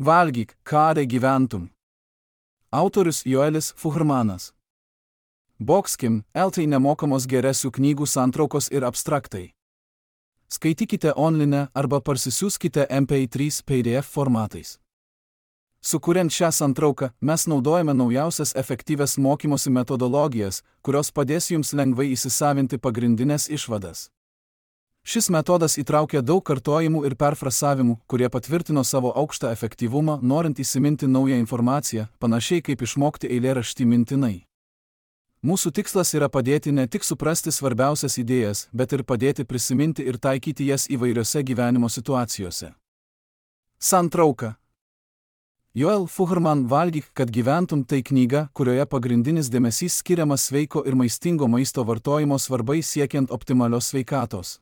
Valgyk, kad gyventum. Autorius Joelis Fuhrmanas. Boxkim, LT nemokamos geresių knygų santraukos ir abstraktai. Skaitykite online arba parsisiųskite MP3 PDF formatais. Sukuriant šią santrauką, mes naudojame naujausias efektyvias mokymosi metodologijas, kurios padės jums lengvai įsisavinti pagrindinės išvadas. Šis metodas įtraukia daug kartojimų ir perfrasavimų, kurie patvirtino savo aukštą efektyvumą, norint įsiminti naują informaciją, panašiai kaip išmokti eilėraštį mintinai. Mūsų tikslas yra padėti ne tik suprasti svarbiausias idėjas, bet ir padėti prisiminti ir taikyti jas įvairiose gyvenimo situacijose. Santrauka. Joel Fuhrman Valgyk, kad gyventum tai knyga, kurioje pagrindinis dėmesys skiriamas sveiko ir maistingo maisto vartojimo svarbai siekiant optimalios sveikatos.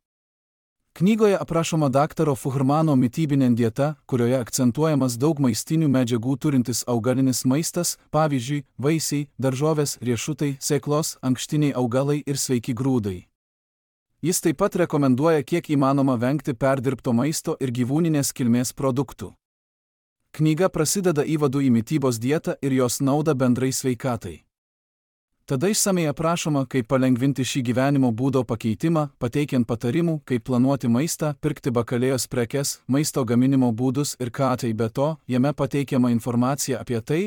Knygoje aprašoma daktaro Fuhrmano mitybinė dieta, kurioje akcentuojamas daug maistinių medžiagų turintis augalinis maistas, pavyzdžiui, vaisiai, daržovės, riešutai, sėklos, ankštiniai augalai ir sveiki grūdai. Jis taip pat rekomenduoja kiek įmanoma vengti perdirbto maisto ir gyvūninės kilmės produktų. Knyga prasideda įvadu į mitybos dietą ir jos naudą bendrai sveikatai. Tada išsamei aprašoma, kaip palengvinti šį gyvenimo būdo pakeitimą, pateikiant patarimų, kaip planuoti maistą, pirkti bakalėjos prekes, maisto gaminimo būdus ir ką tai be to, jame pateikiama informacija apie tai,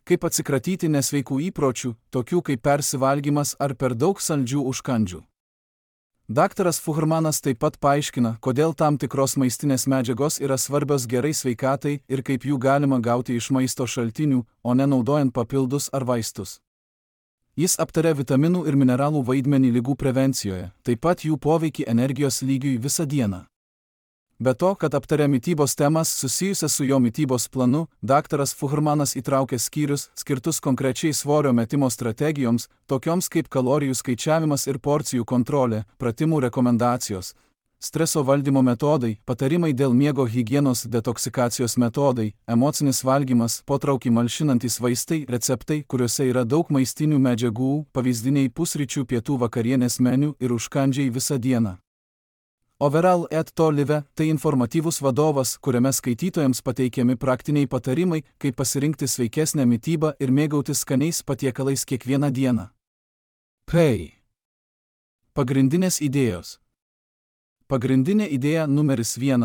kaip atsikratyti nesveikų įpročių, tokių kaip persivalgymas ar per daug saldžių užkandžių. Daktaras Fuhrmanas taip pat paaiškina, kodėl tam tikros maistinės medžiagos yra svarbios gerai sveikatai ir kaip jų galima gauti iš maisto šaltinių, o ne naudojant papildus ar vaistus. Jis aptarė vitaminų ir mineralų vaidmenį ligų prevencijoje, taip pat jų poveikį energijos lygiui visą dieną. Be to, kad aptarė mitybos temas susijusias su jo mitybos planu, daktaras Fuhrmanas įtraukė skyrius, skirtus konkrečiai svorio metimo strategijoms, tokioms kaip kalorijų skaičiavimas ir porcijų kontrolė, pratimų rekomendacijos, streso valdymo metodai, patarimai dėl miego higienos, detoksikacijos metodai, emocinis valgymas, potraukį malšinantys vaistai, receptai, kuriuose yra daug maistinių medžiagų, pavyzdiniai pusryčių, pietų, vakarienės meniu ir užkandžiai visą dieną. Overall et to live – tai informatyvus vadovas, kuriame skaitytojams pateikiami praktiniai patarimai, kaip pasirinkti sveikesnę mitybą ir mėgautis skaniais patiekalais kiekvieną dieną. Pagrindinės idėjos. Pagrindinė idėja numeris 1.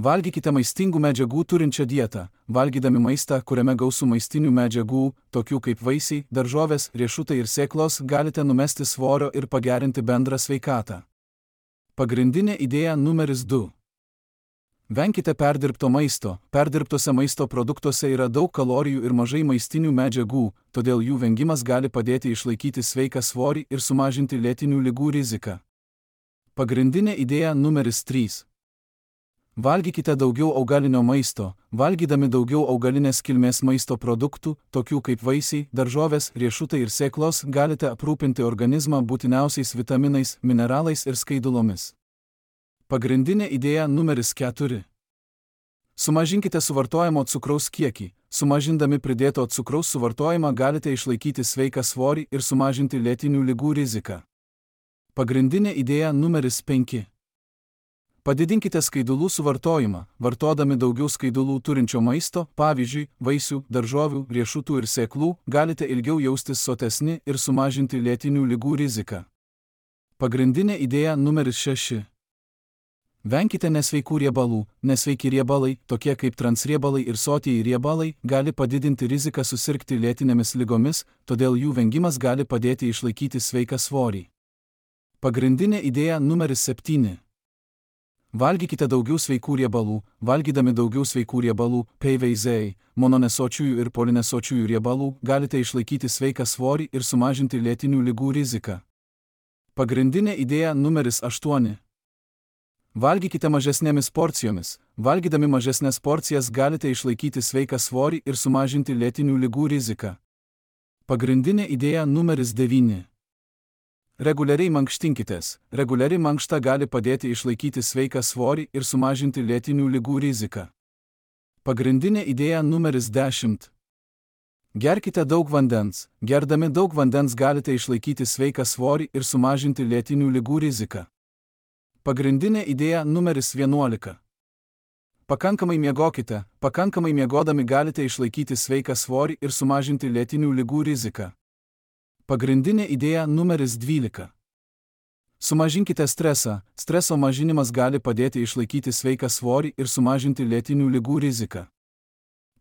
Valgykite maistingų medžiagų turinčią dietą, valgydami maistą, kuriame gausu maistinių medžiagų, tokių kaip vaisiai, daržovės, riešutai ir sėklos, galite numesti svorio ir pagerinti bendrą sveikatą. Pagrindinė idėja numeris 2. Venkite perdirbto maisto. Perdirbtose maisto produktuose yra daug kalorijų ir mažai maistinių medžiagų, todėl jų vengimas gali padėti išlaikyti sveiką svorį ir sumažinti lėtinių ligų riziką. Pagrindinė idėja numeris 3. Valgykite daugiau augalinio maisto. Valgydami daugiau augalinės kilmės maisto produktų, tokių kaip vaisiai, daržovės, riešutai ir sėklos, galite aprūpinti organizmą būtiniausiais vitaminais, mineralais ir skaidulomis. Pagrindinė idėja numeris 4. Sumažinkite suvartojamo cukraus kiekį. Sumažindami pridėto cukraus suvartojimą galite išlaikyti sveiką svorį ir sumažinti lėtinių ligų riziką. Pagrindinė idėja numeris 5. Padidinkite skaidulų suvartojimą, vartodami daugiau skaidulų turinčio maisto, pavyzdžiui, vaisių, daržovių, riešutų ir sėklų, galite ilgiau jaustis sotesni ir sumažinti lėtinių ligų riziką. Pagrindinė idėja numeris 6. Venkite nesveikų riebalų. Nesveiki riebalai, tokie kaip transriebalai ir sotieji riebalai, gali padidinti riziką susirgti lėtinėmis ligomis, todėl jų vengimas gali padėti išlaikyti sveiką svorį. Pagrindinė idėja numeris 7. Valgykite daugiau sveikų riebalų. Valgydami daugiau sveikų riebalų, PVZ, mononesočiųjų ir polinesočiųjų riebalų, galite išlaikyti sveiką svorį ir sumažinti lėtinių ligų riziką. Pagrindinė idėja numeris 8. Valgykite mažesnėmis porcijomis. Valgydami mažesnės porcijas galite išlaikyti sveiką svorį ir sumažinti lėtinių ligų riziką. Pagrindinė idėja numeris 9. Reguliariai mankštinkitės. Reguliari mankšta gali padėti išlaikyti sveiką svorį ir sumažinti lėtinių ligų riziką. Pagrindinė idėja numeris 10. Gerkite daug vandens. Gerdami daug vandens galite išlaikyti sveiką svorį ir sumažinti lėtinių ligų riziką. Pagrindinė idėja numeris 11. Pakankamai miegokite, pakankamai miegodami galite išlaikyti sveiką svorį ir sumažinti lėtinių ligų riziką. Pagrindinė idėja numeris 12. Sumažinkite stresą, streso mažinimas gali padėti išlaikyti sveiką svorį ir sumažinti lėtinių ligų riziką.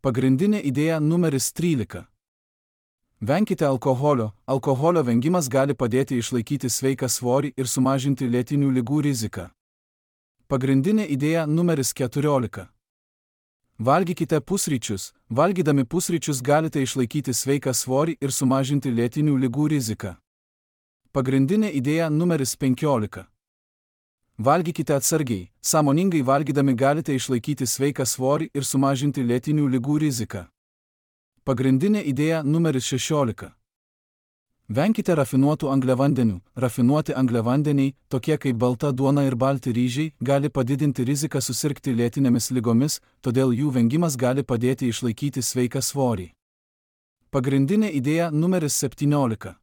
Pagrindinė idėja numeris 13. Venkite alkoholio, alkoholio vengimas gali padėti išlaikyti sveiką svorį ir sumažinti lėtinių ligų riziką. Pagrindinė idėja numeris 14. Valgykite pusryčius, valgydami pusryčius galite išlaikyti sveiką svorį ir sumažinti lėtinių ligų riziką. Pagrindinė idėja numeris 15. Valgykite atsargiai, sąmoningai valgydami galite išlaikyti sveiką svorį ir sumažinti lėtinių ligų riziką. Pagrindinė idėja numeris 16. Venkite rafinuotų angliavandenių. Rafinuoti angliavandeniai, tokie kaip balta duona ir balti ryžiai, gali padidinti riziką susirgti lėtinėmis ligomis, todėl jų vengimas gali padėti išlaikyti sveiką svorį. Pagrindinė idėja numeris 17.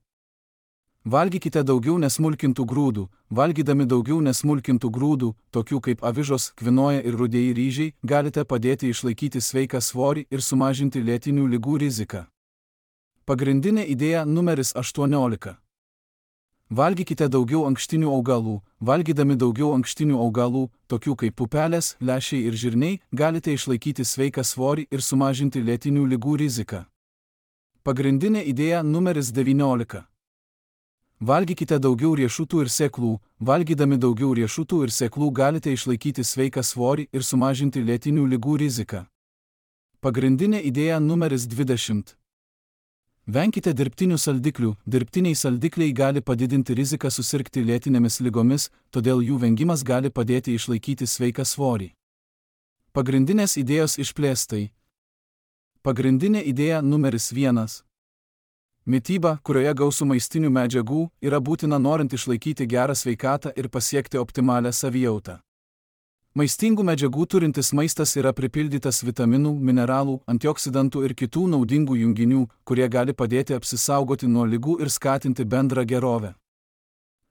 Valgykite daugiau nesmulkintų grūdų. Valgydami daugiau nesmulkintų grūdų, tokių kaip avižos, kvinoja ir rudieji ryžiai, galite padėti išlaikyti sveiką svorį ir sumažinti lėtinių ligų riziką. Pagrindinė idėja numeris 18. Valgykite daugiau ankštinių augalų. Valgydami daugiau ankštinių augalų, tokių kaip pupelės, lęšiai ir žirniai, galite išlaikyti sveiką svorį ir sumažinti lėtinių ligų riziką. Pagrindinė idėja numeris 19. Valgykite daugiau riešutų ir sėklų. Valgydami daugiau riešutų ir sėklų galite išlaikyti sveiką svorį ir sumažinti lėtinių ligų riziką. Pagrindinė idėja numeris 20. Venkite dirbtinių saldiklių. Dirbtiniai saldikliai gali padidinti riziką susirgti lėtinėmis ligomis, todėl jų vengimas gali padėti išlaikyti sveiką svorį. Pagrindinės idėjos išplėstai. Pagrindinė idėja numeris 1. Mityba, kurioje gausu maistinių medžiagų, yra būtina norint išlaikyti gerą sveikatą ir pasiekti optimalią savijautą. Maistingų medžiagų turintis maistas yra pripildytas vitaminų, mineralų, antioksidantų ir kitų naudingų junginių, kurie gali padėti apsisaugoti nuo ligų ir skatinti bendrą gerovę.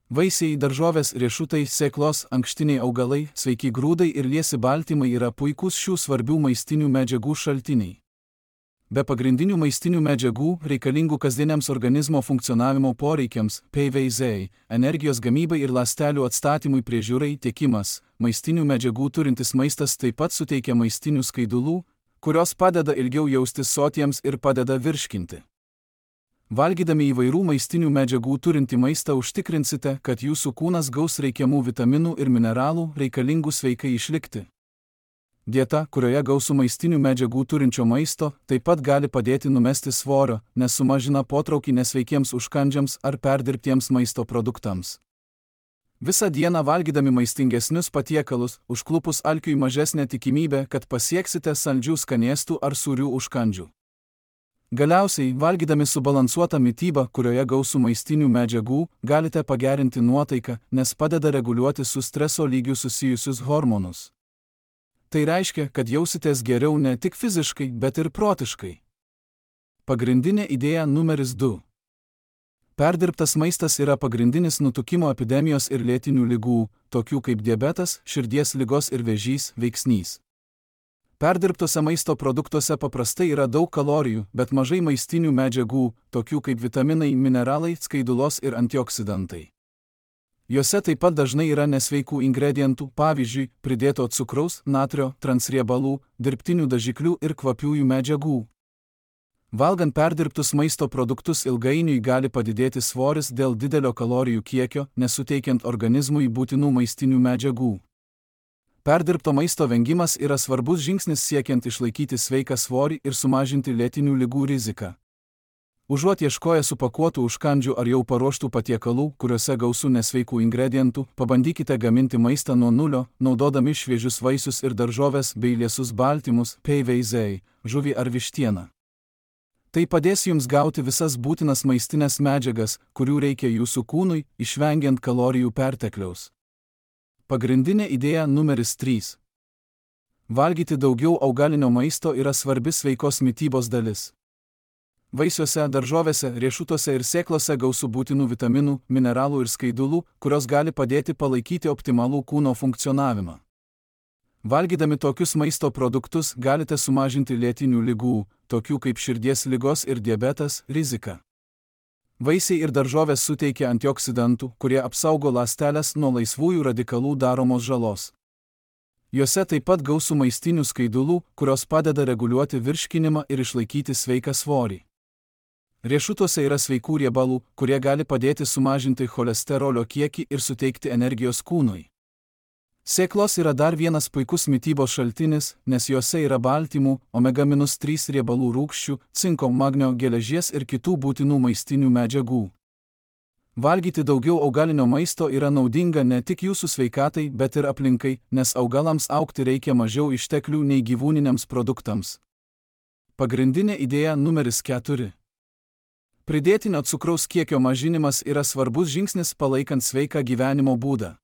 Vaisiai, daržovės, riešutai, sėklos, ankštiniai augalai, sveiki grūdai ir liesi baltymai yra puikūs šių svarbių maistinių medžiagų šaltiniai. Be pagrindinių maistinių medžiagų, reikalingų kasdieniams organizmo funkcionavimo poreikiams, PVZ, energijos gamybai ir ląstelių atstatymui priežiūrai tiekimas, maistinių medžiagų turintis maistas taip pat suteikia maistinių skaidulų, kurios padeda ilgiau jaustis sotiems ir padeda virškinti. Valgydami įvairių maistinių medžiagų turintį maistą užtikrinsite, kad jūsų kūnas gaus reikiamų vitaminų ir mineralų reikalingų sveikai išlikti. Dieta, kurioje gausu maistinių medžiagų turinčio maisto, taip pat gali padėti numesti svorio, nes sumažina potraukį nesveikiems užkandžiams ar perdirbtiems maisto produktams. Visą dieną valgydami maistingesnius patiekalus, užklupus alkiui mažesnė tikimybė, kad pasieksite saldžių skanėstų ar sūrių užkandžių. Galiausiai, valgydami subalansuotą mitybą, kurioje gausu maistinių medžiagų, galite pagerinti nuotaiką, nes padeda reguliuoti su streso lygiu susijusius hormonus. Tai reiškia, kad jausitės geriau ne tik fiziškai, bet ir protiškai. Pagrindinė idėja numeris 2. Perdirbtas maistas yra pagrindinis nutukimo epidemijos ir lėtinių ligų, tokių kaip diabetas, širdies ligos ir vėžys, veiksnys. Perdirbtose maisto produktuose paprastai yra daug kalorijų, bet mažai maistinių medžiagų, tokių kaip vitaminai, mineralai, skaidulos ir antioksidantai. Juose taip pat dažnai yra nesveikų ingredientų, pavyzdžiui, pridėto cukraus, natrio, transriebalų, dirbtinių dažiklių ir kvapiųjų medžiagų. Valgant perdirbtus maisto produktus ilgainiui gali padidėti svoris dėl didelio kalorijų kiekio, nesuteikiant organizmui būtinų maistinių medžiagų. Perdirbto maisto vengimas yra svarbus žingsnis siekiant išlaikyti sveiką svorį ir sumažinti lėtinių ligų riziką. Užuot ieškoję supakuotų užkandžių ar jau paruoštų patiekalų, kuriuose gausu nesveikų ingredientų, pabandykite gaminti maistą nuo nulio, naudodami šviežius vaisius ir daržoves bei liesus baltymus, PVZ, žuvį ar vištieną. Tai padės jums gauti visas būtinas maistinės medžiagas, kurių reikia jūsų kūnui, išvengiant kalorijų pertekliaus. Pagrindinė idėja numeris 3. Valgyti daugiau augalinio maisto yra svarbi sveikos mitybos dalis. Vaisiuose, daržovėse, riešutuose ir sėklose gausu būtinų vitaminų, mineralų ir skaidulų, kurios gali padėti palaikyti optimalų kūno funkcionavimą. Valgydami tokius maisto produktus galite sumažinti lėtinių ligų, tokių kaip širdies ligos ir diabetas, riziką. Vaisiai ir daržovės suteikia antioksidantų, kurie apsaugo ląsteles nuo laisvųjų radikalų daromos žalos. Juose taip pat gausu maistinių skaidulų, kurios padeda reguliuoti virškinimą ir išlaikyti sveiką svorį. Riešutuose yra sveikų riebalų, kurie gali padėti sumažinti cholesterolio kiekį ir suteikti energijos kūnui. Sėklos yra dar vienas puikus mitybos šaltinis, nes juose yra baltymų, omega-3 riebalų rūgščių, cinko, magnio, geležies ir kitų būtinų maistinių medžiagų. Valgyti daugiau augalinio maisto yra naudinga ne tik jūsų sveikatai, bet ir aplinkai, nes augalams augti reikia mažiau išteklių nei gyvūniniams produktams. Pagrindinė idėja numeris 4. Pridėtinio cukraus kiekio mažinimas yra svarbus žingsnis palaikant sveiką gyvenimo būdą.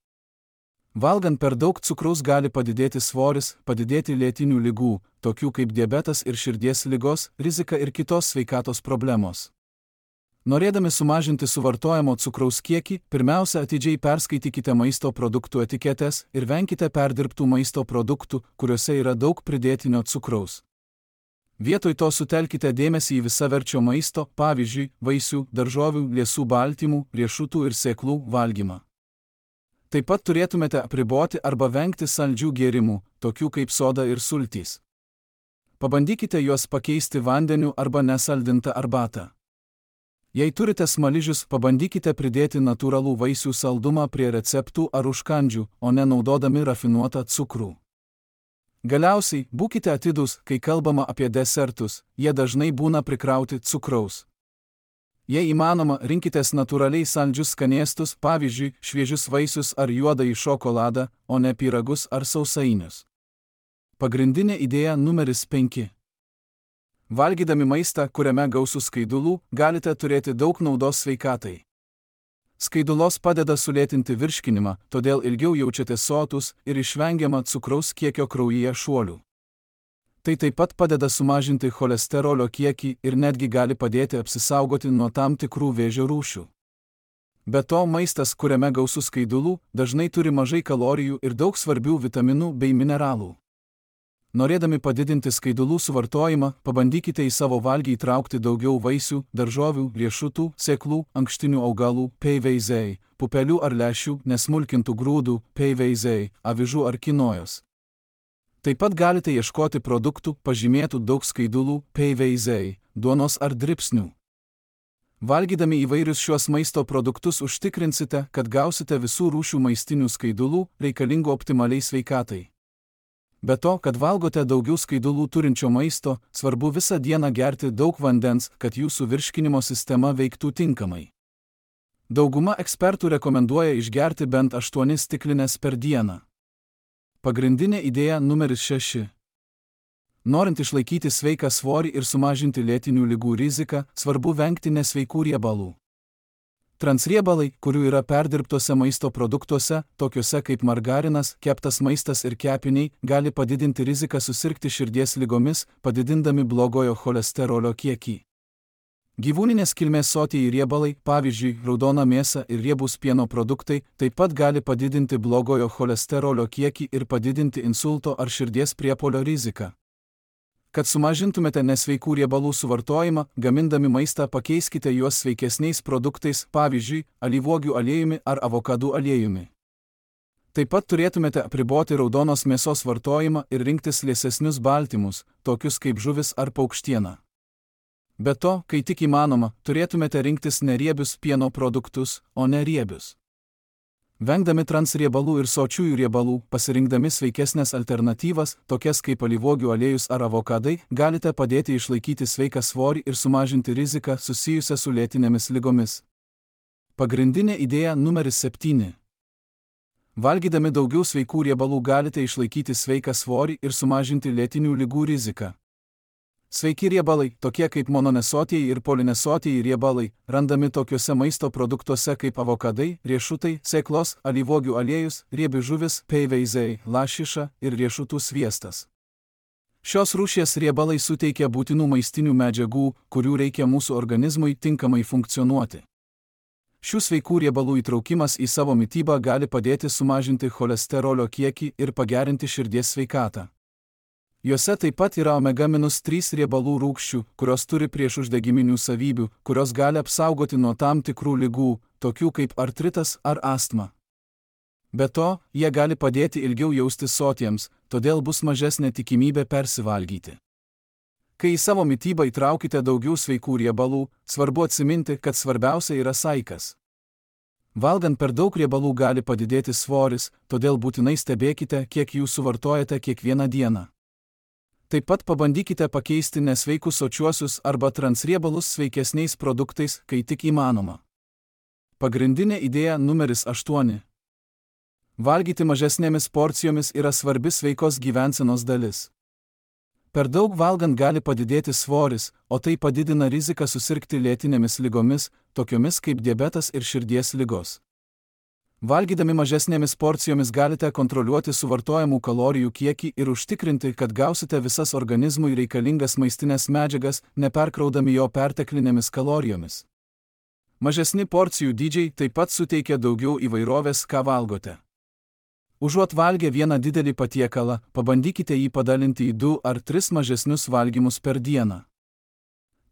Valgant per daug cukraus gali padidėti svoris, padidėti lėtinių ligų, tokių kaip diabetas ir širdies ligos, rizika ir kitos sveikatos problemos. Norėdami sumažinti suvartojamo cukraus kiekį, pirmiausia atidžiai perskaitykite maisto produktų etiketes ir venkite perdirbtų maisto produktų, kuriuose yra daug pridėtinio cukraus. Vietoj to sutelkite dėmesį į visaverčio maisto, pavyzdžiui, vaisių, daržovių, liesų baltymų, riešutų ir sėklų valgymą. Taip pat turėtumėte apriboti arba vengti saldžių gėrimų, tokių kaip soda ir sultys. Pabandykite juos pakeisti vandeniu arba nesaldintą arbatą. Jei turite smaližius, pabandykite pridėti natūralų vaisių saldumą prie receptų ar užkandžių, o ne naudodami rafinuotą cukrų. Galiausiai, būkite atidūs, kai kalbama apie desertus, jie dažnai būna prikrauti cukraus. Jei įmanoma, rinkitės natūraliai saldžius skanėstus, pavyzdžiui, šviežius vaisius ar juodąjį šokoladą, o ne pyragus ar sausainius. Pagrindinė idėja numeris 5. Valgydami maistą, kuriame gausu skaidulų, galite turėti daug naudos sveikatai. Skaidulos padeda sulėtinti virškinimą, todėl ilgiau jaučiatės sotus ir išvengiama cukraus kiekio kraujyje šuolių. Tai taip pat padeda sumažinti cholesterolio kiekį ir netgi gali padėti apsisaugoti nuo tam tikrų vėžio rūšių. Be to, maistas, kuriame gausu skaidulų, dažnai turi mažai kalorijų ir daug svarbių vitaminų bei mineralų. Norėdami padidinti skaidulų suvartojimą, pabandykite į savo valgį įtraukti daugiau vaisių, daržovių, riešutų, sėklų, ankštinių augalų, peiveizei, pupelių ar lęšių, nesmulkintų grūdų, peiveizei, avižų ar kinojos. Taip pat galite ieškoti produktų, pažymėtų daug skaidulų, peiveizei, duonos ar dribsnių. Valgydami įvairius šiuos maisto produktus užtikrinsite, kad gausite visų rūšių maistinių skaidulų, reikalingų optimaliai sveikatai. Be to, kad valgote daugiau skaidulų turinčio maisto, svarbu visą dieną gerti daug vandens, kad jūsų virškinimo sistema veiktų tinkamai. Dauguma ekspertų rekomenduoja išgerti bent 8 stiklines per dieną. Pagrindinė idėja numeris 6. Norint išlaikyti sveiką svorį ir sumažinti lėtinių ligų riziką, svarbu vengti nesveikų riebalų. Transriebalai, kurių yra perdirbtose maisto produktuose, tokiuose kaip margarinas, keptas maistas ir kepiniai, gali padidinti riziką susirgti širdies ligomis, padidindami blogojo cholesterolio kiekį. Gyvūninės kilmės sotieji riebalai, pavyzdžiui, raudona mėsa ir riebūs pieno produktai, taip pat gali padidinti blogojo cholesterolio kiekį ir padidinti insulto ar širdies priepuolio riziką. Kad sumažintumėte nesveikų riebalų suvartojimą, gamindami maistą pakeiskite juos sveikesniais produktais, pavyzdžiui, alyvuogių aliejumi ar avokadų aliejumi. Taip pat turėtumėte apriboti raudonos mėsos vartojimą ir rinktis liesesnius baltymus, tokius kaip žuvis ar paukštiena. Be to, kai tik įmanoma, turėtumėte rinktis neriebius pieno produktus, o ne riebius. Vengdami transriebalų ir sočiųjų riebalų, pasirinkdami sveikesnės alternatyvas, tokias kaip alyvuogių aliejus ar avokadai, galite padėti išlaikyti sveiką svorį ir sumažinti riziką susijusią su lėtinėmis ligomis. Pagrindinė idėja numeris 7. Valgydami daugiau sveikų riebalų galite išlaikyti sveiką svorį ir sumažinti lėtinių ligų riziką. Sveiki riebalai, tokie kaip mononesotieji ir polinesotieji riebalai, randami tokiuose maisto produktuose kaip avokadai, riešutai, sėklos, alyvuogių aliejus, riebi žuvis, peiveizei, lašiša ir riešutų sviestas. Šios rūšies riebalai suteikia būtinų maistinių medžiagų, kurių reikia mūsų organizmui tinkamai funkcionuoti. Šių sveikų riebalų įtraukimas į savo mitybą gali padėti sumažinti cholesterolio kiekį ir pagerinti širdies sveikatą. Juose taip pat yra omega-3 riebalų rūgščių, kurios turi priešuždegiminių savybių, kurios gali apsaugoti nuo tam tikrų ligų, tokių kaip artritas ar astma. Be to, jie gali padėti ilgiau jaustis sotiems, todėl bus mažesnė tikimybė persivalgyti. Kai į savo mitybą įtraukite daugiau sveikų riebalų, svarbu atsiminti, kad svarbiausia yra saikas. Valgant per daug riebalų gali padidėti svoris, todėl būtinai stebėkite, kiek jų suvartojate kiekvieną dieną. Taip pat pabandykite pakeisti nesveikus sočiuosius arba transriebalus sveikesniais produktais, kai tik įmanoma. Pagrindinė idėja numeris 8. Valgyti mažesnėmis porcijomis yra svarbi sveikos gyvensenos dalis. Per daug valgant gali padidėti svoris, o tai padidina riziką susirgti lėtinėmis ligomis, tokiomis kaip diabetas ir širdies ligos. Valgydami mažesnėmis porcijomis galite kontroliuoti suvartojamų kalorijų kiekį ir užtikrinti, kad gausite visas organizmui reikalingas maistinės medžiagas, neperkraudami jo perteklinėmis kalorijomis. Mažesni porcijų dydžiai taip pat suteikia daugiau įvairovės, ką valgote. Užuot valgę vieną didelį patiekalą, pabandykite jį padalinti į 2 ar 3 mažesnius valgymus per dieną.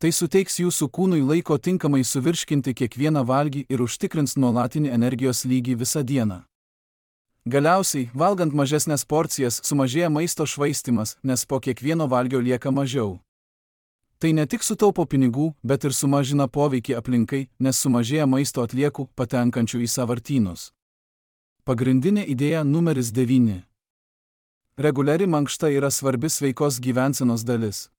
Tai suteiks jūsų kūnui laiko tinkamai suvirškinti kiekvieną valgį ir užtikrins nuolatinį energijos lygį visą dieną. Galiausiai, valgant mažesnės porcijas, sumažėja maisto švaistymas, nes po kiekvieno valgio lieka mažiau. Tai ne tik sutaupo pinigų, bet ir sumažina poveikį aplinkai, nes sumažėja maisto atliekų, patenkančių į sąvartynus. Pagrindinė idėja numeris 9. Reguliari mankšta yra svarbi sveikos gyvensenos dalis.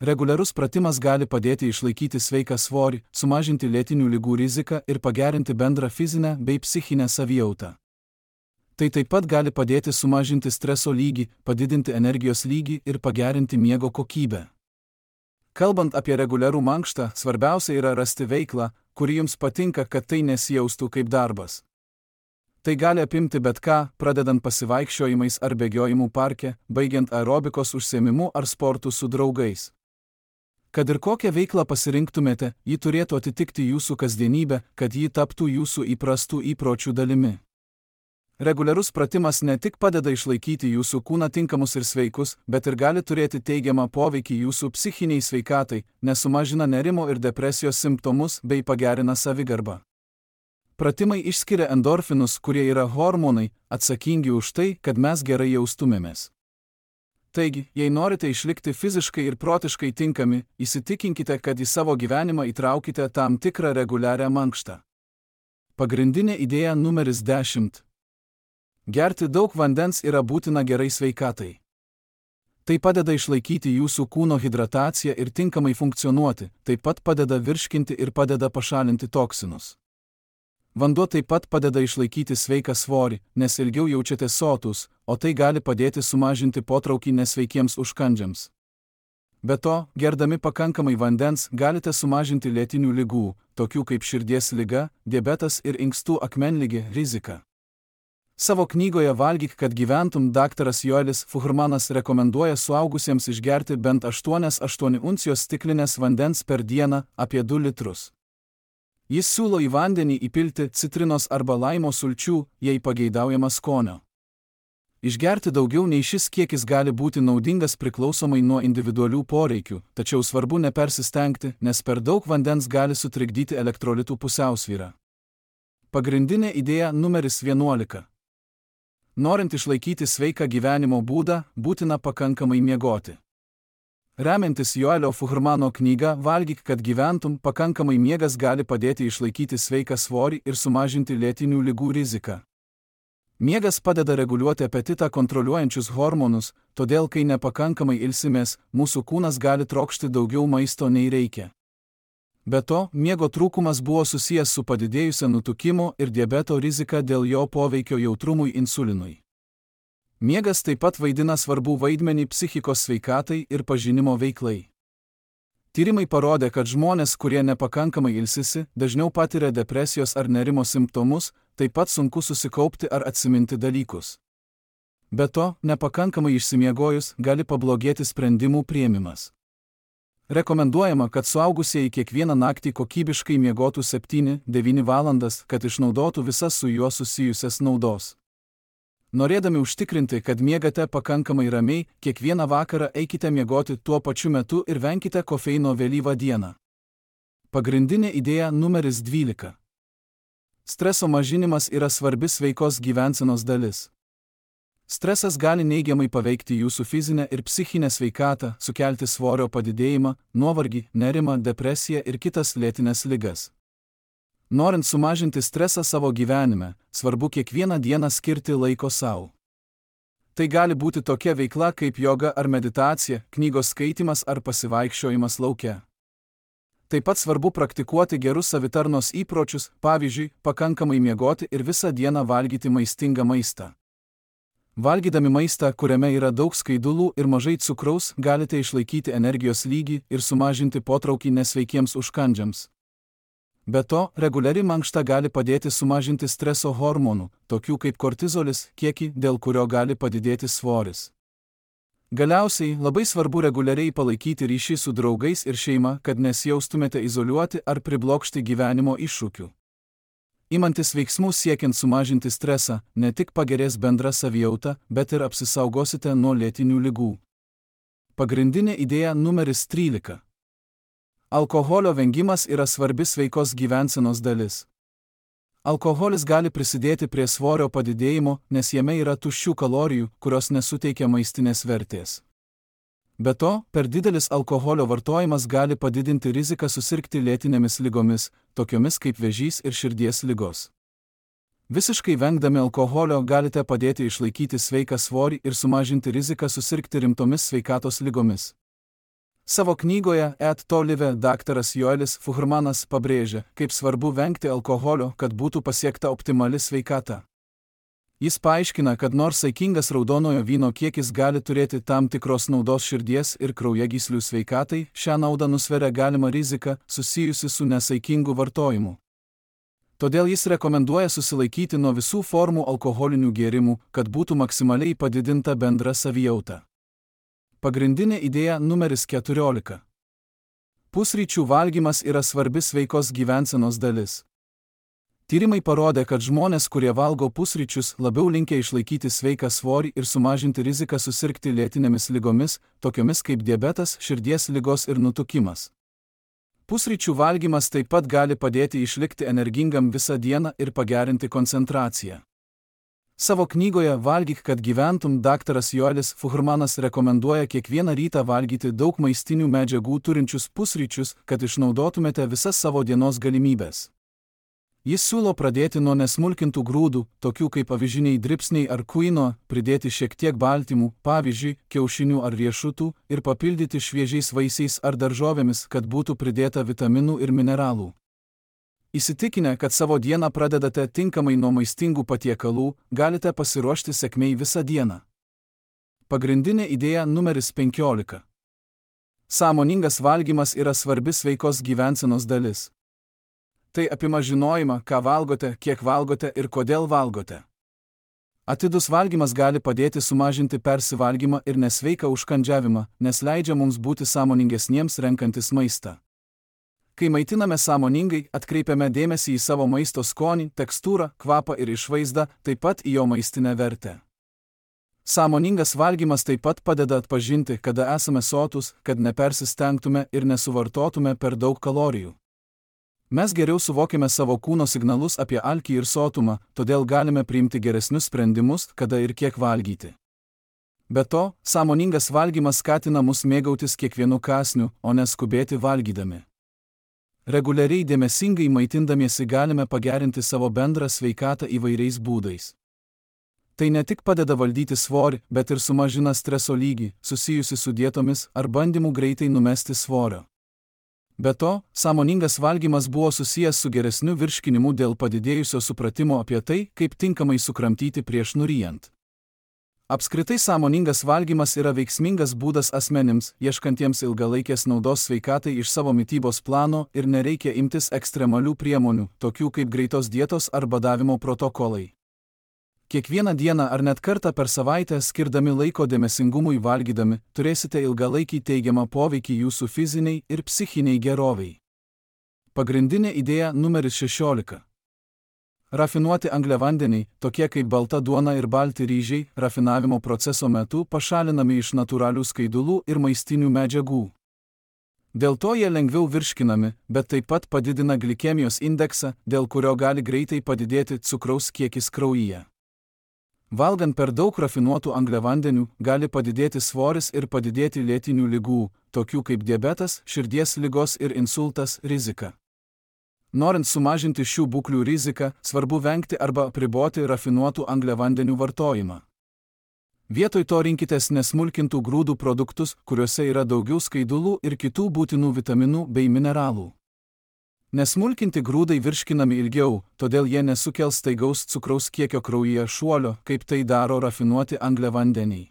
Reguliarus pratimas gali padėti išlaikyti sveiką svorį, sumažinti lėtinių ligų riziką ir pagerinti bendrą fizinę bei psichinę savijautą. Tai taip pat gali padėti sumažinti streso lygį, padidinti energijos lygį ir pagerinti miego kokybę. Kalbant apie reguliarų mankštą, svarbiausia yra rasti veiklą, kuri jums patinka, kad tai nesijaustų kaip darbas. Tai gali apimti bet ką, pradedant pasivaikščiojimais ar bėgiojimų parke, baigiant aerobikos užsiėmimu ar sportu su draugais. Kad ir kokią veiklą pasirinktumėte, ji turėtų atitikti jūsų kasdienybę, kad ji taptų jūsų įprastų įpročių dalimi. Reguliarus pratimas ne tik padeda išlaikyti jūsų kūną tinkamus ir sveikus, bet ir gali turėti teigiamą poveikį jūsų psichiniai sveikatai, nes sumažina nerimo ir depresijos simptomus bei pagerina savigarbą. Pratimai išskiria endorfinus, kurie yra hormonai, atsakingi už tai, kad mes gerai jaustumėmės. Taigi, jei norite išlikti fiziškai ir protiškai tinkami, įsitikinkite, kad į savo gyvenimą įtraukite tam tikrą reguliarią mankštą. Pagrindinė idėja numeris 10. Gerti daug vandens yra būtina gerai sveikatai. Tai padeda išlaikyti jūsų kūno hidrataciją ir tinkamai funkcionuoti, taip pat padeda virškinti ir padeda pašalinti toksinus. Vanduo taip pat padeda išlaikyti sveiką svorį, nes ilgiau jaučiatės sotus, o tai gali padėti sumažinti potraukį nesveikiems užkandžiams. Be to, gerdami pakankamai vandens galite sumažinti lėtinių ligų, tokių kaip širdies liga, diabetas ir inkstų akmenligė riziką. Savo knygoje Valgyk, kad gyventum dr. Joelis Fuhrmanas rekomenduoja suaugusiems išgerti bent 8 uncijos stiklinės vandens per dieną, apie 2 litrus. Jis siūlo į vandenį įpilti citrinos arba laimo sulčių, jei pageidaujama skonio. Išgerti daugiau nei šis kiekis gali būti naudingas priklausomai nuo individualių poreikių, tačiau svarbu nepersistengti, nes per daug vandens gali sutrikdyti elektrolitų pusiausvyrą. Pagrindinė idėja numeris 11. Norint išlaikyti sveiką gyvenimo būdą, būtina pakankamai miegoti. Remiantis Joelio Fuhrmano knyga Valgyk, kad gyventum, pakankamai miegas gali padėti išlaikyti sveiką svorį ir sumažinti lėtinių ligų riziką. Miegas padeda reguliuoti apetitą kontroliuojančius hormonus, todėl kai nepakankamai ilsimės, mūsų kūnas gali trokšti daugiau maisto nei reikia. Be to, miego trūkumas buvo susijęs su padidėjusia nutukimo ir diabeto rizika dėl jo poveikio jautrumui insulinui. Miegas taip pat vaidina svarbų vaidmenį psichikos sveikatai ir pažinimo veiklai. Tyrimai parodė, kad žmonės, kurie nepakankamai ilsisi, dažniau patiria depresijos ar nerimo simptomus, taip pat sunku susikaupti ar atsiminti dalykus. Be to, nepakankamai išsimiegojus gali pablogėti sprendimų priėmimas. Rekomenduojama, kad suaugusieji kiekvieną naktį kokybiškai miegotų 7–9 valandas, kad išnaudotų visas su juo susijusias naudos. Norėdami užtikrinti, kad miegate pakankamai ramiai, kiekvieną vakarą eikite miegoti tuo pačiu metu ir venkite kofeino vėlyvą dieną. Pagrindinė idėja numeris 12. Streso mažinimas yra svarbi sveikos gyvensenos dalis. Stresas gali neigiamai paveikti jūsų fizinę ir psichinę sveikatą, sukelti svorio padidėjimą, nuovargį, nerimą, depresiją ir kitas lėtines ligas. Norint sumažinti stresą savo gyvenime, svarbu kiekvieną dieną skirti laiko sau. Tai gali būti tokia veikla kaip joga ar meditacija, knygos skaitymas ar pasivaikščiojimas lauke. Taip pat svarbu praktikuoti gerus savitarnos įpročius, pavyzdžiui, pakankamai miegoti ir visą dieną valgyti maistingą maistą. Valgydami maistą, kuriame yra daug skaidulų ir mažai cukraus, galite išlaikyti energijos lygį ir sumažinti potraukį nesveikiems užkandžiams. Be to, reguliari mankšta gali padėti sumažinti streso hormonų, tokių kaip kortizolis, kiekį, dėl kurio gali padidėti svoris. Galiausiai, labai svarbu reguliariai palaikyti ryšį su draugais ir šeima, kad nesijaustumėte izoliuoti ar priblokšti gyvenimo iššūkių. Imantis veiksmų siekiant sumažinti stresą, ne tik pagerės bendra savijauta, bet ir apsisaugosite nuo lėtinių ligų. Pagrindinė idėja numeris 13. Alkoholio vengimas yra svarbi sveikos gyvensenos dalis. Alkoholis gali prisidėti prie svorio padidėjimo, nes jame yra tuščių kalorijų, kurios nesuteikia maistinės vertės. Be to, per didelis alkoholio vartojimas gali padidinti riziką susirgti lėtinėmis ligomis, tokiomis kaip vėžys ir širdies ligos. Visiškai vengdami alkoholio galite padėti išlaikyti sveiką svorį ir sumažinti riziką susirgti rimtomis sveikatos ligomis. Savo knygoje Et to live daktaras Joelis Fuhrmanas pabrėžia, kaip svarbu vengti alkoholio, kad būtų pasiekta optimali sveikata. Jis paaiškina, kad nors saikingas raudonojo vyno kiekis gali turėti tam tikros naudos širdies ir kraujagyslių sveikatai, šią naudą nusveria galima rizika susijusi su nesaikingu vartojimu. Todėl jis rekomenduoja susilaikyti nuo visų formų alkoholinių gėrimų, kad būtų maksimaliai padidinta bendra savijauta. Pagrindinė idėja numeris 14. Pusryčių valgymas yra svarbi sveikos gyvensenos dalis. Tyrimai parodė, kad žmonės, kurie valgo pusryčius, labiau linkę išlaikyti sveiką svorį ir sumažinti riziką susirgti lėtinėmis ligomis, tokiomis kaip diabetas, širdies ligos ir nutukimas. Pusryčių valgymas taip pat gali padėti išlikti energingam visą dieną ir pagerinti koncentraciją. Savo knygoje Valgyk, kad gyventum daktaras Joelis Fuhrmanas rekomenduoja kiekvieną rytą valgyti daug maistinių medžiagų turinčius pusryčius, kad išnaudotumėte visas savo dienos galimybės. Jis siūlo pradėti nuo nesmulkintų grūdų, tokių kaip avižiniai dribsniai ar kuino, pridėti šiek tiek baltymų, pavyzdžiui, kiaušinių ar riešutų, ir papildyti šviežiais vaisiais ar daržovėmis, kad būtų pridėta vitaminų ir mineralų. Įsitikinę, kad savo dieną pradedate tinkamai nuo maistingų patiekalų, galite pasiruošti sėkmei visą dieną. Pagrindinė idėja numeris 15. Sąmoningas valgymas yra svarbi sveikos gyvensenos dalis. Tai apima žinojimą, ką valgote, kiek valgote ir kodėl valgote. Atidus valgymas gali padėti sumažinti persivalgymą ir nesveiką užkandžiavimą, nes leidžia mums būti sąmoningesniems renkantis maistą. Kai maitiname sąmoningai, atkreipiame dėmesį į savo maisto skonį, tekstūrą, kvapą ir išvaizdą, taip pat į jo maistinę vertę. Sąmoningas valgymas taip pat padeda atpažinti, kada esame sotūs, kad nepersistengtume ir nesuvartotume per daug kalorijų. Mes geriau suvokiame savo kūno signalus apie alkį ir sotumą, todėl galime priimti geresnius sprendimus, kada ir kiek valgyti. Be to, sąmoningas valgymas skatina mus mėgautis kiekvienu kąsniu, o neskubėti valgydami. Reguliariai dėmesingai maitindamiesi galime pagerinti savo bendrą sveikatą įvairiais būdais. Tai ne tik padeda valdyti svorį, bet ir sumažina streso lygį, susijusi su dietomis ar bandymu greitai numesti svorio. Be to, sąmoningas valgymas buvo susijęs su geresniu virškinimu dėl padidėjusio supratimo apie tai, kaip tinkamai sukramtyti prieš nuryjant. Apskritai sąmoningas valgymas yra veiksmingas būdas asmenims, ieškantiems ilgalaikės naudos sveikatai iš savo mitybos plano ir nereikia imtis ekstremalių priemonių, tokių kaip greitos dietos ar badavimo protokolai. Kiekvieną dieną ar net kartą per savaitę skirdami laiko dėmesingumui valgydami, turėsite ilgalaikį teigiamą poveikį jūsų fiziniai ir psichiniai geroviai. Pagrindinė idėja numeris 16. Rafinuoti angliavandeniai, tokie kaip balta duona ir balti ryžiai, rafinavimo proceso metu pašalinami iš natūralių skaidulų ir maistinių medžiagų. Dėl to jie lengviau virškinami, bet taip pat padidina glikemijos indeksą, dėl kurio gali greitai padidėti cukraus kiekis kraujyje. Valgant per daug rafinuotų angliavandenių, gali padidėti svoris ir padidėti lėtinių ligų, tokių kaip diabetas, širdies ligos ir insultas, rizika. Norint sumažinti šių būklių riziką, svarbu vengti arba apriboti rafinuotų angliavandenių vartojimą. Vietoj to rinkitės nesmulkintų grūdų produktus, kuriuose yra daugiau skaidulų ir kitų būtinų vitaminų bei mineralų. Nesmulkinti grūdai virškinami ilgiau, todėl jie nesukels staigaus cukraus kiekio kraujyje šuolio, kaip tai daro rafinuoti angliavandeniai.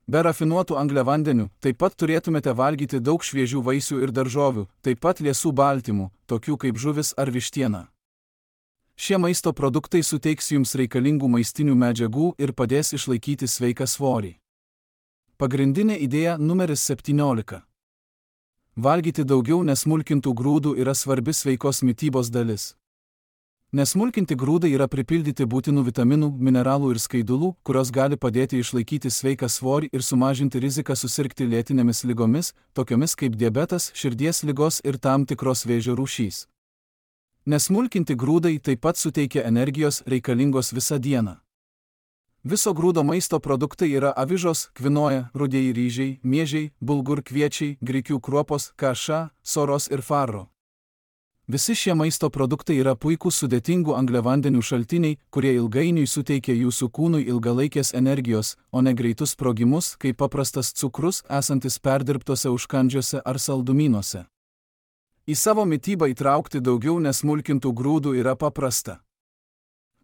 Be rafinuotų angliavandenių taip pat turėtumėte valgyti daug šviežių vaisių ir daržovių, taip pat liesų baltymų, tokių kaip žuvis ar vištiena. Šie maisto produktai suteiks jums reikalingų maistinių medžiagų ir padės išlaikyti sveiką svorį. Pagrindinė idėja numeris 17. Valgyti daugiau nesmulkintų grūdų yra svarbi sveikos mitybos dalis. Nesmulkinti grūdai yra pripildyti būtinų vitaminų, mineralų ir skaidulų, kurios gali padėti išlaikyti sveiką svorį ir sumažinti riziką susirgti lėtinėmis ligomis, tokiomis kaip diabetas, širdies ligos ir tam tikros vėžio rūšys. Nesmulkinti grūdai taip pat suteikia energijos reikalingos visą dieną. Viso grūdo maisto produktai yra avižos, kvinoja, rudieji ryžiai, miežiai, bulgur kviečiai, grikių kruopos, kaša, soros ir farro. Visi šie maisto produktai yra puikūs sudėtingų angliavandenių šaltiniai, kurie ilgainiui suteikia jūsų kūnui ilgalaikės energijos, o ne greitus sprogimus, kaip paprastas cukrus, esantis perdirbtose užkandžiuose ar saldumynuose. Į savo mitybą įtraukti daugiau nesmulkintų grūdų yra paprasta.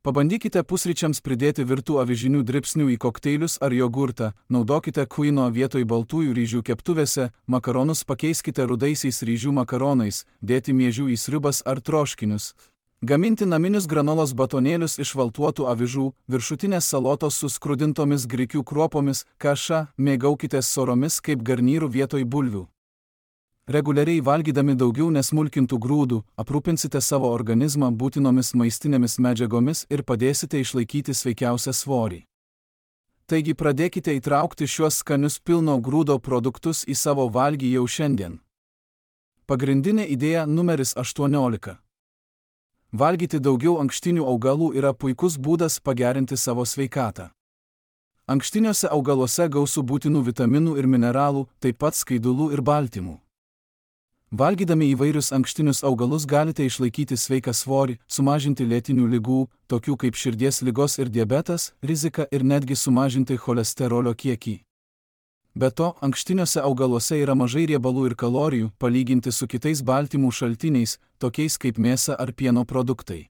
Pabandykite pusryčiams pridėti virtų avižinių dribsnių į kokteilius ar jogurtą, naudokite kuino vietoj baltųjų ryžių keptuvėse, makaronus pakeiskite rudaisiais ryžių makaronais, dėti miežių į sriubas ar troškinius. Gaminti naminius granolos batonėlius iš valtuotų avižų, viršutinės salotos su skrudintomis grikių kruopomis, kaša, mėgaukitės soromis kaip garnyrų vietoj bulvių. Reguliariai valgydami daugiau nesmulkintų grūdų, aprūpinsite savo organizmą būtinomis maistinėmis medžiagomis ir padėsite išlaikyti sveikiausią svorį. Taigi pradėkite įtraukti šiuos skanius pilno grūdo produktus į savo valgį jau šiandien. Pagrindinė idėja numeris 18. Valgyti daugiau ankštinių augalų yra puikus būdas pagerinti savo sveikatą. Ankštiniuose augaluose gausu būtinų vitaminų ir mineralų, taip pat skaidulų ir baltymų. Valgydami įvairius ankštinius augalus galite išlaikyti sveiką svorį, sumažinti lėtinių ligų, tokių kaip širdies ligos ir diabetas, riziką ir netgi sumažinti cholesterolio kiekį. Be to, ankštiniuose augaluose yra mažai riebalų ir kalorijų, palyginti su kitais baltymų šaltiniais, tokiais kaip mėsa ar pieno produktai.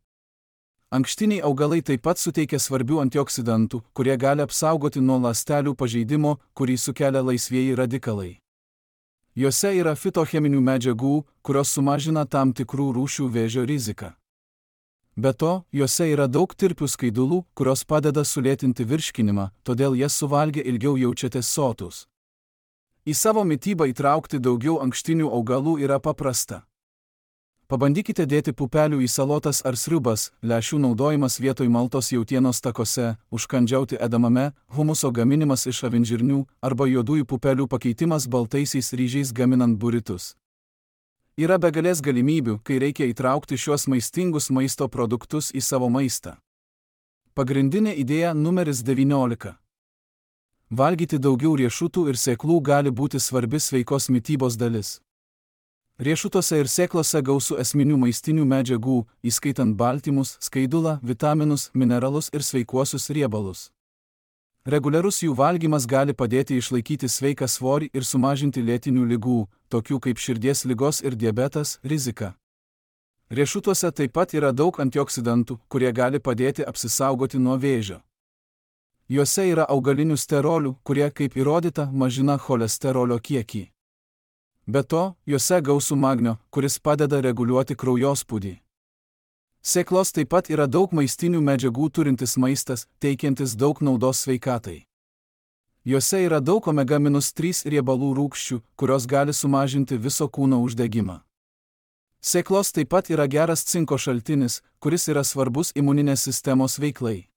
Ankštiniai augalai taip pat suteikia svarbių antioksidantų, kurie gali apsaugoti nuo ląstelių pažeidimo, kurį sukelia laisvieji radikalai. Juose yra fitocheminių medžiagų, kurios sumažina tam tikrų rūšių vėžio riziką. Be to, juose yra daug tirpių skaidulų, kurios padeda sulėtinti virškinimą, todėl jas suvalgę ilgiau jaučiatės sotūs. Į savo mitybą įtraukti daugiau ankštinių augalų yra paprasta. Pabandykite dėti pupelių į salotas ar sriubas, lęšių naudojimas vietoj maltos jautienos takose, užkandžiauti edamame, humuso gaminimas iš avinžirnių arba juodųjų pupelių pakeitimas baltaisiais ryžiais gaminant buritus. Yra begalės galimybių, kai reikia įtraukti šiuos maistingus maisto produktus į savo maistą. Pagrindinė idėja numeris 19. Valgyti daugiau riešutų ir sėklų gali būti svarbi sveikos mitybos dalis. Riešutuose ir sėklose gausu esminių maistinių medžiagų, įskaitant baltymus, skaidulą, vitaminus, mineralus ir sveikuosius riebalus. Reguliarus jų valgymas gali padėti išlaikyti sveiką svorį ir sumažinti lėtinių ligų, tokių kaip širdies ligos ir diabetas, riziką. Riešutuose taip pat yra daug antioksidantų, kurie gali padėti apsisaugoti nuo vėžio. Juose yra augalinių sterolių, kurie, kaip įrodyta, mažina cholesterolio kiekį. Be to, juose gausu magnio, kuris padeda reguliuoti kraujospūdį. Sėklos taip pat yra daug maistinių medžiagų turintis maistas, teikiantis daug naudos sveikatai. Juose yra daug omega-3 riebalų rūgščių, kurios gali sumažinti viso kūno uždegimą. Sėklos taip pat yra geras cinko šaltinis, kuris yra svarbus imuninės sistemos veiklai.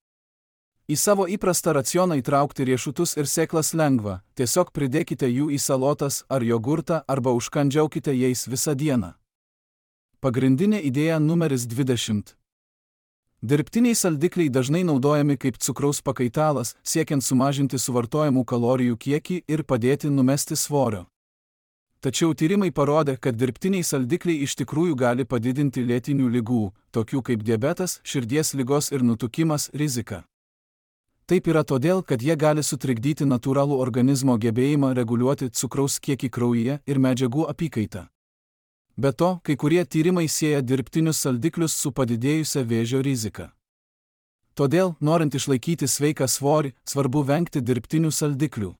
Į savo įprastą racioną įtraukti riešutus ir sėklas lengva, tiesiog pridėkite jų į salotas ar jogurtą arba užkandžiaukite jais visą dieną. Pagrindinė idėja numeris 20. Dirbtiniai saldikliai dažnai naudojami kaip cukraus pakaitalas, siekiant sumažinti suvartojamų kalorijų kiekį ir padėti numesti svorio. Tačiau tyrimai parodė, kad dirbtiniai saldikliai iš tikrųjų gali padidinti lėtinių ligų, tokių kaip diabetas, širdies ligos ir nutukimas, riziką. Taip yra todėl, kad jie gali sutrikdyti natūralų organizmo gebėjimą reguliuoti cukraus kiekį kraujyje ir medžiagų apykaitą. Be to, kai kurie tyrimai sieja dirbtinius saldiklius su padidėjusia vėžio rizika. Todėl, norint išlaikyti sveiką svorį, svarbu vengti dirbtinių saldiklių.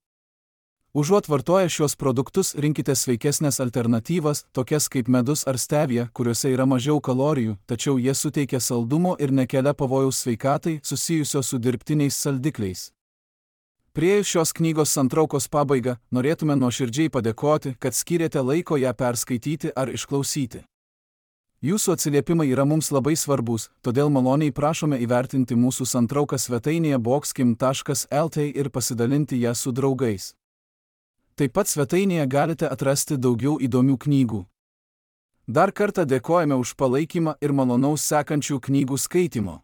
Užuot vartoję šios produktus, rinkite sveikesnės alternatyvas, tokias kaip medus ar stevija, kuriuose yra mažiau kalorijų, tačiau jie suteikia saldumo ir nekelia pavojaus sveikatai susijusio su dirbtiniais saldikliais. Priėjus šios knygos santraukos pabaigą, norėtume nuoširdžiai padėkoti, kad skyrėte laiko ją perskaityti ar išklausyti. Jūsų atsiliepimai yra mums labai svarbus, todėl maloniai prašome įvertinti mūsų santrauką svetainėje boxkim.lt ir pasidalinti ją su draugais. Taip pat svetainėje galite atrasti daugiau įdomių knygų. Dar kartą dėkojame už palaikymą ir malonaus sekančių knygų skaitimo.